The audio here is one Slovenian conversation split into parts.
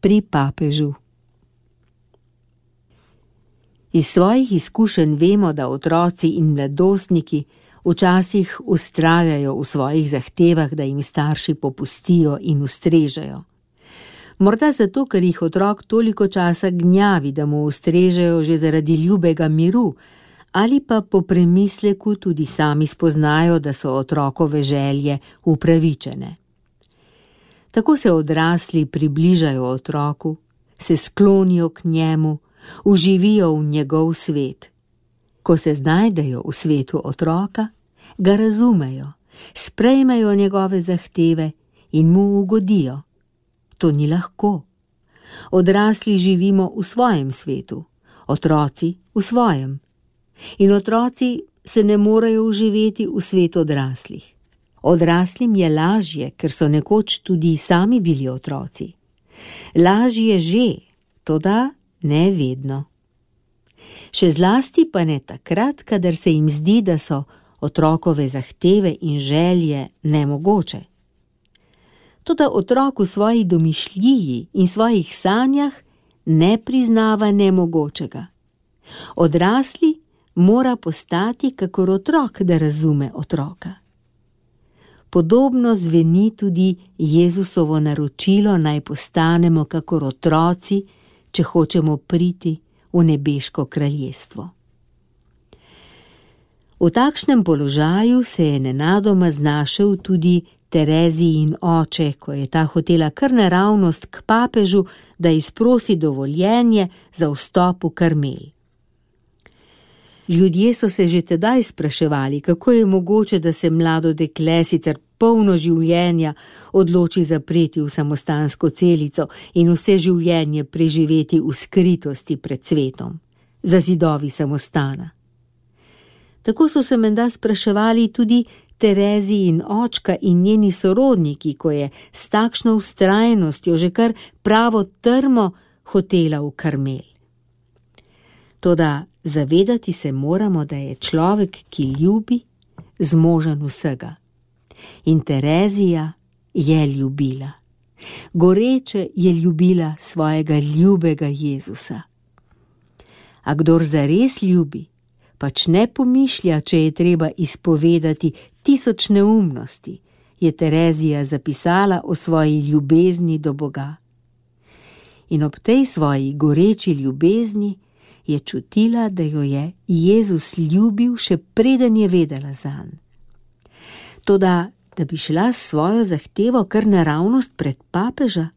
pri papežu. Iz svojih izkušenj vemo, da otroci in mladostniki včasih vztrajajo v svojih zahtevah, da jim starši popustijo in ustrežejo. Morda zato, ker jih otrok toliko časa gnjavi, da mu ustrežejo že zaradi ljubega miru, ali pa po premisleku tudi sami spoznajo, da so otrokove želje upravičene. Tako se odrasli približajo otroku, se sklonijo k njemu, uživijo v njegov svet. Ko se znajdejo v svetu otroka, ga razumejo, sprejmejo njegove zahteve in mu ugodijo. To ni lahko. Odrasli živimo v svojem svetu, otroci v svojem. In otroci se ne morejo uživeti v svet odraslih. Odraslim je lažje, ker so nekoč tudi sami bili otroci. Lažje že, toda ne vedno. Še zlasti pa ne takrat, kadar se jim zdi, da so otrokove zahteve in želje nemogoče. Toda otrok v svoji domišljiji in svojih sanjah ne priznava nemogočega. Odrasli mora postati kakor otrok, da razume otroka. Podobno zveni tudi Jezusovo naročilo, naj postanemo kakor otroci, če hočemo priti v nebeško kraljestvo. V takšnem položaju se je nenadoma znašel tudi Terezijin oče, ko je ta hotela kar naravnost k papežu, da izprosi dovoljenje za vstop v Karmel. Ljudje so se že tedaj spraševali, kako je mogoče, da se mlado dekle, sicer polno življenja, odloči zapreti v samostansko celico in vse življenje preživeti v skritosti pred svetom, za zidovi samostana. Tako so se menda spraševali tudi Terezijin očka in njeni sorodniki, ko je s takšno vztrajnostjo že kar pravo trmo hotela v Karmel. Toda zavedati se moramo, da je človek, ki ljubi, zmožen vsega. In Terezija je ljubila. Goreče je ljubila svojega ljubega Jezusa. A kdor zares ljubi, pač ne pomišlja, če je treba izpovedati 1000 neumnosti, je Terezija zapisala o svoji ljubezni do Boga. In ob tej svoji goreči ljubezni je čutila, da jo je Jezus ljubil, še preden je vedela zanj. Toda, da bi šla s svojo zahtevo kar naravnost pred papeža,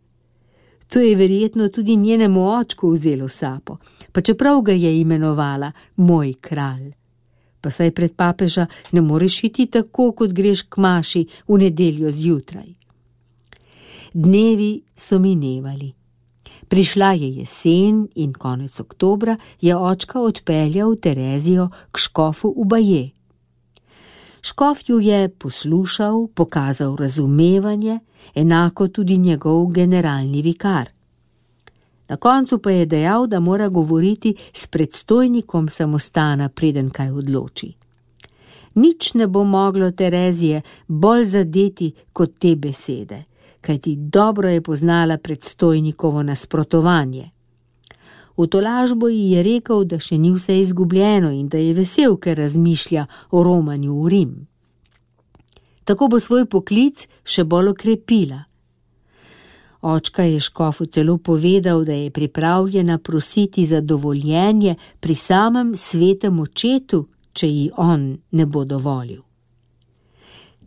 to je verjetno tudi njenemu očku vzelo sapo, pa čeprav ga je imenovala moj kralj. Pa saj pred papeža ne moreš iti tako, kot greš k maši v nedeljo zjutraj. Dnevi so minevali. Prišla je jesen in konec oktobra je očka odpeljal Terezijo k škofu v Baje. Škof ju je poslušal, pokazal razumevanje, enako tudi njegov generalni vikar. Na koncu pa je dejal, da mora govoriti s predstojnikom samostana, preden kaj odloči. Nič ne bo moglo Terezije bolj zadeti kot te besede, kajti dobro je poznala predstojnikovo nasprotovanje. V tolažbo ji je rekel, da še ni vse izgubljeno in da je vesel, ker razmišlja o romanju v Rim. Tako bo svoj poklic še bolj okrepila. Očka je škofu celo povedal, da je pripravljena prositi za dovoljenje pri samem svetem očetu, če ji on ne bo dovolil.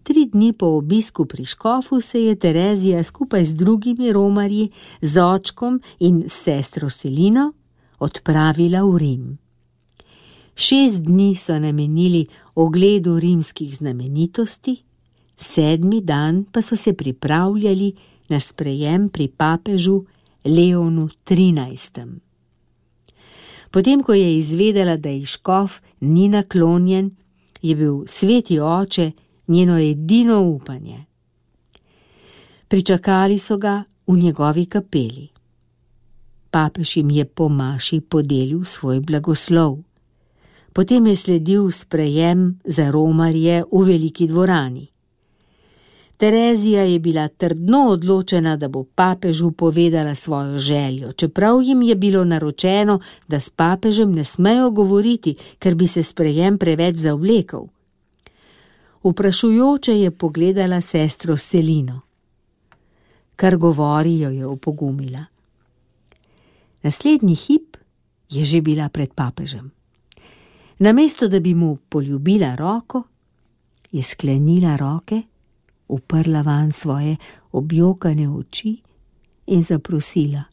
3 dni po obisku pri škofu se je Terezija skupaj z drugimi romarji, z očkom in s sestro Selino odpravila v Rim. 6 dni so namenili ogledu rimskih znamenitosti, 7. dan pa so se pripravljali na sprejem pri papežu Leonu XIII. Potem, ko je izvedela, da ji škof ni naklonjen, je bil sveti oče njeno edino upanje. Pričakali so ga v njegovi kapeli. Papež jim je po maši podelil svoj blagoslov. Potem je sledil sprejem za romarje v veliki dvorani. Terezija je bila trdno odločena, da bo papežu povedala svojo željo, čeprav jim je bilo naročeno, da s papežem ne smejo govoriti, ker bi se sprejem preveč zavlekel. Vprašujoče je pogledala sestro Selino. Kar govori, jo je opogumila. Naslednji hip je že bila pred papežem. Namesto da bi mu poljubila roko, je sklenila roke, uprla vanj svoje objokane oči in zaprosila.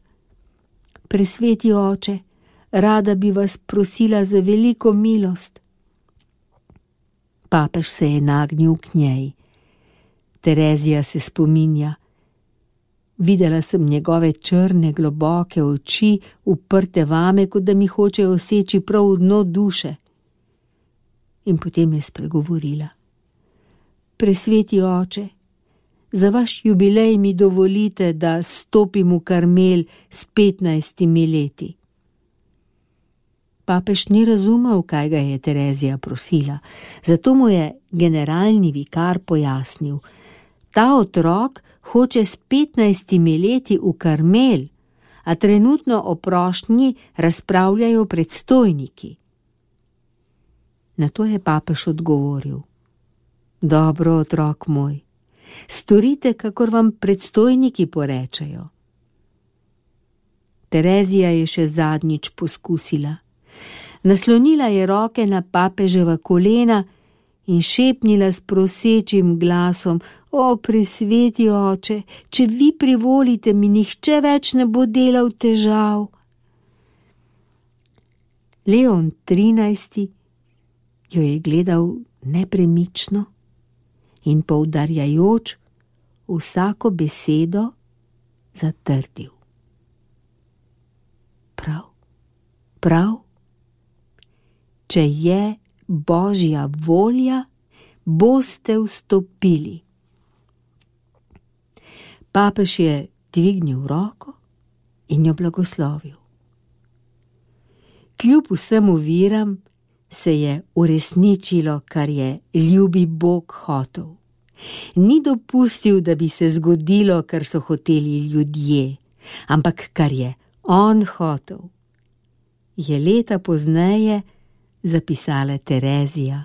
Presveti oče, rada bi vas prosila za veliko milost. Papež se je nagnil k njej. Terezija se spominja. Videla sem njegove črne, globoke oči, uprte vame, kot da mi hočejo seči prav v dno duše. In potem je spregovorila. Presveti oče, za vaš jubilej mi dovolite, da stopim v Karmel s 15 leti. Papež ni razumel, kaj ga je Terezija prosila, zato mu je generalni vikar pojasnil. Ta otrok hoče s 15 leti v Karmel, a trenutno o prošnji razpravljajo predstojniki. Na to je papež odgovoril. Dobro, otrok moj, storite, kakor vam predstojniki porečejo. Terezija je še zadnjič poskusila. Naslonila je roke na papeževa kolena in šepnila s prosečim glasom: O, presveti oče, če vi privolite, mi nihče več ne bo delal težav. Leon XIII jo je gledal nepremično in poudarjajoč vsako besedo zatrdil. Prav, če je Božja volja, boste vstopili. Papež je dvignil roko in jo blagoslovil. Kljub vsem oviram se je uresničilo, kar je ljubi Bog hotel. Ni dopustil, da bi se zgodilo, kar so hoteli ljudje, ampak kar je on hotel, je leta pozneje zapisala Terezija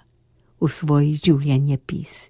v svoj življenjepis.